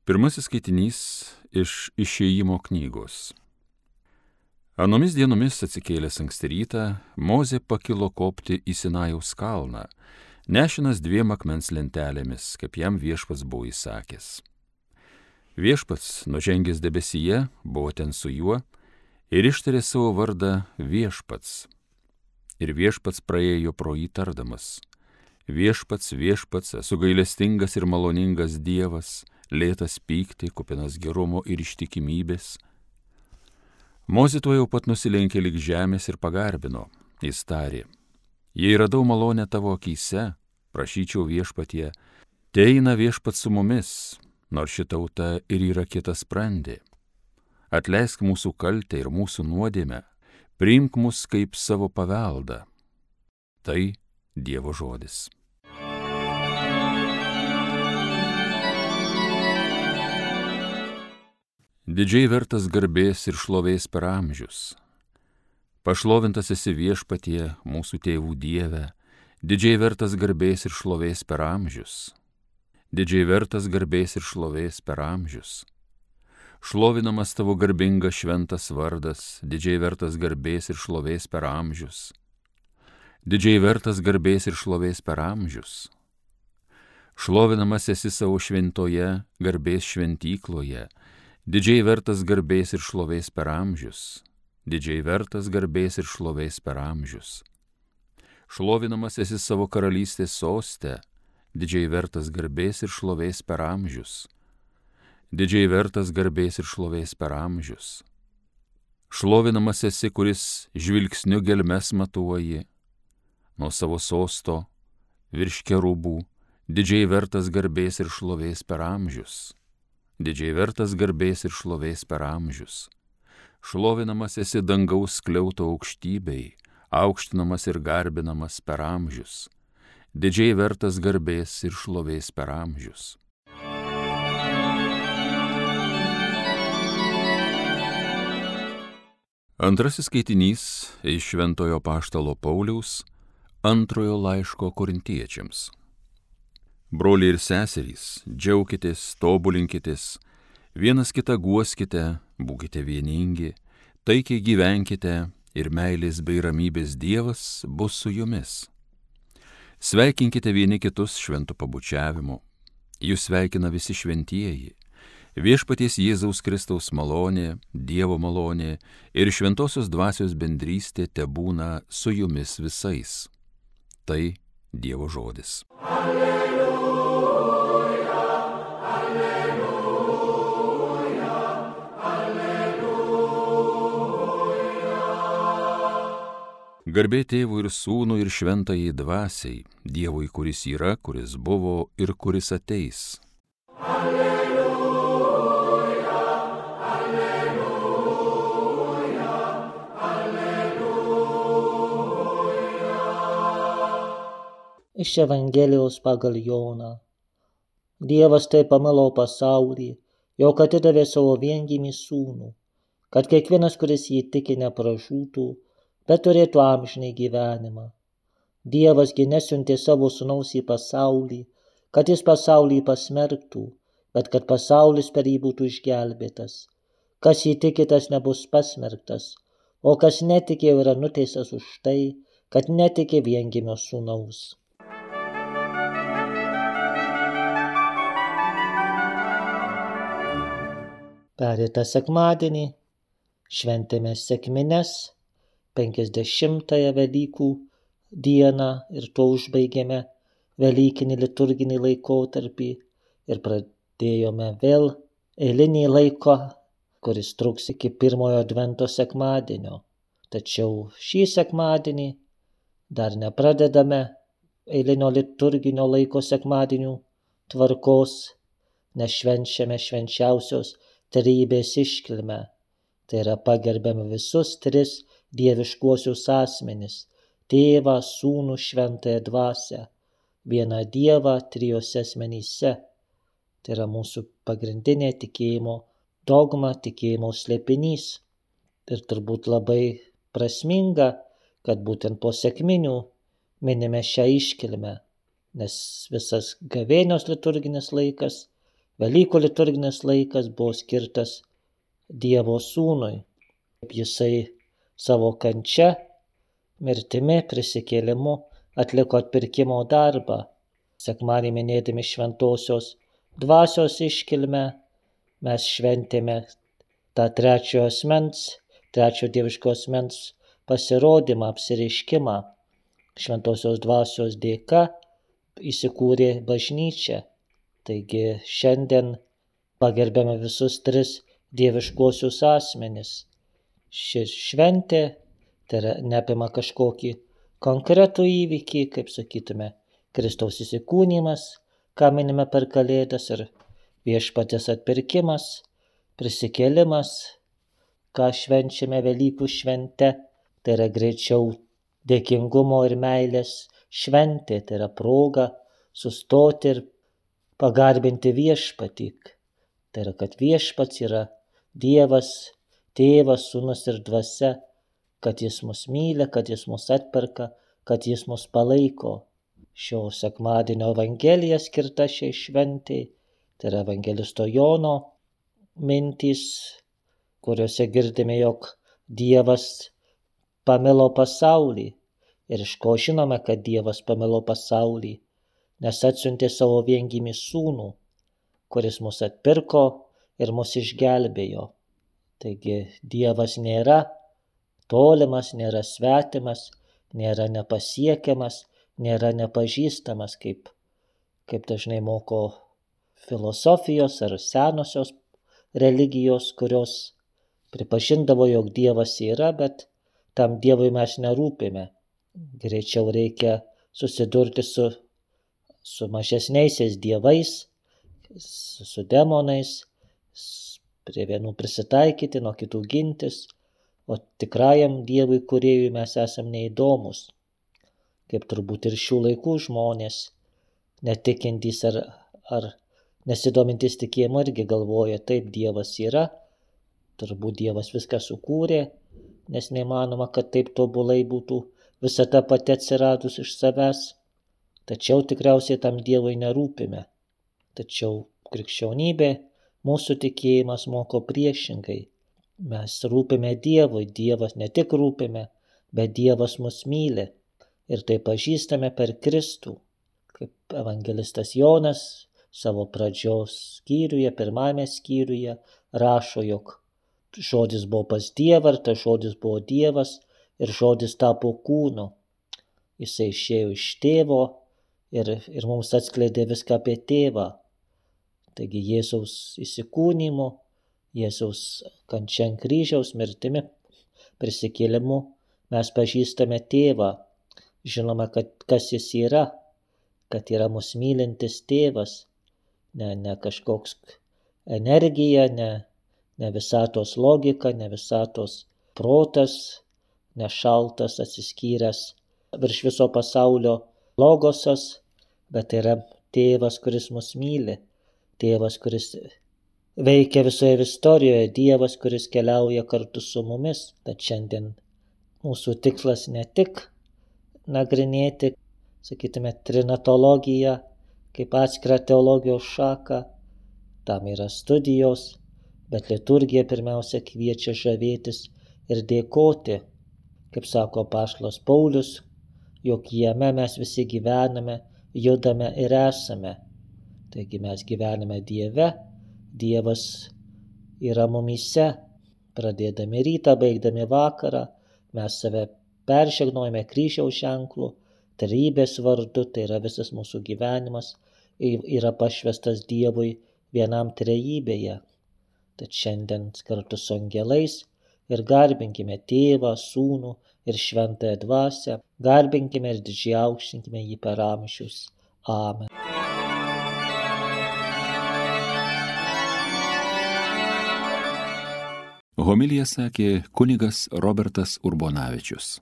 Pirmasis skaitinys iš Išėjimo knygos. Anomis dienomis atsikėlęs anksti rytą, Mozė pakilo kopti į Sinajaus kalną, nešinas 2 akmens lentelėmis, kaip jam viešpats buvo įsakęs. Viešpats, nužengęs debesyje, buvo ten su juo ir ištarė savo vardą Viešpats. Ir viešpats praėjo pro jį tardamas: Viešpats, viešpats, esu gailestingas ir maloningas Dievas, lėtas pykti, kupinas gerumo ir ištikimybės. Mozė tuojau pat nusilenkė lig žemės ir pagarbino. Jis tarė: Jei radau malonę tavo akyse, prašyčiau viešpatie, teina viešpats su mumis, nors ši tauta ir yra kietasprandė. Atleisk mūsų kaltę ir mūsų nuodėmę, priimk mus kaip savo paveldą. Tai Dievo žodis. Didžiai vertas garbės ir šlovės per amžius. Pašlovintas esi viešpatie, mūsų tėvų Dieve, didžiai vertas garbės ir šlovės per amžius. Didžiai vertas garbės ir šlovės per amžius. Šlovinamas tavo garbingas šventas vardas, didžiai vertas garbės ir šlovės per amžius. Didžiai vertas garbės ir šlovės per amžius. Šlovinamas esi savo šventoje garbės šventykloje, didžiai vertas garbės ir šlovės per amžius. Didžiai vertas garbės ir šlovės per amžius. Šlovinamas esi savo karalystės soste, didžiai vertas garbės ir šlovės per amžius. Didžiai vertas garbės ir šlovės per amžius. Šlovinamas esi, kuris žvilgsniu gelmes matuoji, nuo savo sosto virš kerubų, didžiai vertas garbės ir šlovės per amžius. Didžiai vertas garbės ir šlovės per amžius. Šlovinamas esi dangaus skliauto aukštybei, aukštinamas ir garbinamas per amžius. Didžiai vertas garbės ir šlovės per amžius. Antrasis skaitinys iš Šventojo apaštalo Pauliaus antrojo laiško Korintiečiams. Broliai ir seserys, džiaukitės, tobulinkitės, vienas kitą guoskite, būkite vieningi, taikiai gyvenkite ir meilės bei ramybės Dievas bus su jumis. Sveikinkite vieni kitus šventu pabučiavimu. Jūs sveikina visi šventieji. Viešpaties Jėzaus Kristaus malonė, Dievo malonė ir šventosios dvasios bendrystė tebūna su jumis visais. Tai Dievo žodis. Garbė Tėvui ir Sūnui ir Šventajai Dvasiai, Dievui, kuris yra, kuris buvo ir kuris ateis. Alleluja, alleluja, alleluja. Iš Evangelijos pagal Joną. Dievas taip pamilo pasaulį, jog atidavė savo viengimį sūnų, kad kiekvienas, kuris jį tiki, nepražūtų, bet turėtų amžinai gyvenimą. Dievas gi nesiuntė savo sūnaus į pasaulį, kad jis pasaulį pasmerktų, bet kad pasaulis per jį būtų išgelbėtas. Kas jį tiki, tas nebus pasmerktas, o kas netiki, yra nuteistas už tai, kad netiki viengimio sūnaus. Pereitą sekmadienį šventėme sekmines, 50-ąją Velykų dieną ir tuo užbaigėme Velykinį liturginį laikotarpį ir pradėjome vėl eilinį laiką, kuris truks iki pirmojo Advento sekmadienio. Tačiau šį sekmadienį dar nepradedame eilinio liturginio laiko sekmadienių tvarkos, nes švenčiame švenčiausios trejybės iškilmę. Tai yra pagerbiame visus 3 dieviškuosius asmenis – Tėvą, Sūnų, Šventąją Dvasią, vieną Dievą 3 asmenyse. Tai yra mūsų pagrindinė tikėjimo dogma, tikėjimo slėpinys. Ir turbūt labai prasminga, kad būtent po sekminių minime šią iškilmę, nes visas gavėnios liturginis laikas Velykų liturginis laikas buvo skirtas Dievo sūnui. Jisai savo kančia, mirtimi, prisikėlimu atliko atpirkimo darbą. Sekmadienį minėdami šventosios dvasios iškilmę, mes šventėme tą trečio dieviško asmens pasirodymą, apsireiškimą. Šventosios dvasios dėka įsikūrė bažnyčia. Taigi šiandien pagerbiame visus tris dieviškuosius asmenis. Ši šventė tai neapima kažkokį konkretų įvykį, kaip sakytume, Kristaus įsikūnymas, ką minime per Kalėdas, ir viešpaties atpirkimas, prisikėlimas, ką švenčiame Velykų švente, tai yra greičiau dėkingumo ir meilės šventė, tai yra proga sustoti ir pagarbinti viešpatį. Tai yra, kad viešpats yra Dievas, Tėvas, Sūnus ir Dvasia, kad jis mus myli, kad jis mus atperka, kad jis mus palaiko. Šio sekmadienio Evangelija skirta šiai šventei, tai yra evangelisto Jono mintys, kuriuose girdime, jog Dievas pamilo pasaulį. Ir iš ko žinome, kad Dievas pamilo pasaulį? Nes atsiuntė savo viengimį sūnų, kuris mus atpirko ir mus išgelbėjo. Taigi Dievas nėra tolimas, nėra svetimas, nėra nepasiekiamas, nėra nepažįstamas, kaip dažnai moko filosofijos ar senosios religijos, kurios pripažindavo, jog Dievas yra, bet tam Dievui mes nerūpime. Greičiau reikia susidurti su mažesniaisiais dievais, su demonais, prie vienų prisitaikyti, nuo kitų gintis, o tikrajam Dievui kūrėjui mes esam neįdomus. Kaip turbūt ir šių laikų žmonės, netikintys ar nesidomintys tikėjimu, irgi galvoja, taip, Dievas yra, turbūt Dievas viską sukūrė, nes neįmanoma, kad taip tobulai būtų visata pati atsiradus iš savęs. Tačiau tikriausiai tam Dievui nerūpime. Tačiau krikščionybė, mūsų tikėjimas moko priešingai. Mes rūpime Dievui, Dievas ne tik rūpime, bet Dievas mus myli. Ir tai pažįstame per Kristų. Kaip evangelistas Jonas savo pradžios skyriuje, pirmame skyriuje rašo, jog žodis buvo pas Dievą, ir tas žodis buvo Dievas, ir žodis tapo kūnu. Jisai išėjo iš tėvo ir mums atskleidė viską apie tėvą. Taigi Jėzaus įsikūnymu, Jėzaus kančia ant kryžiaus, mirtimi, prisikėlimu mes pažįstame tėvą. Žinome, kas jis yra, kad yra mus mylintis tėvas, ne kažkoks energija, ne visatos logika, ne visatos protas, ne šaltas atsiskyręs virš viso pasaulio logosas, bet yra tėvas, kuris mus myli, tėvas, kuris veikia visoje istorijoje, Dievas, kuris keliauja kartu su mumis. Tad šiandien mūsų tikslas ne tik nagrinėti, sakytume, trinatologiją kaip atskirą teologijos šaką, tam yra studijos, bet liturgija pirmiausia kviečia žavėtis ir dėkoti, kaip sako apaštalas Paulius, jog jame mes visi gyvename, judame ir esame. Taigi mes gyvename Dieve, Dievas yra mumyse, pradėdami rytą, baigdami vakarą, mes save peržegnojame kryžiaus ženklu, trejybės vardu, tai yra visas mūsų gyvenimas, yra pašvestas Dievui vienam trejybėje. Tad šiandien kartu su angelais ir garbinkime Tėvą, Sūnų ir Šventąją Dvasią, garbinkime ir didžiai aukštinkime jį per amžius. Amen. Homiliją sakė kunigas Robertas Urbonavičius.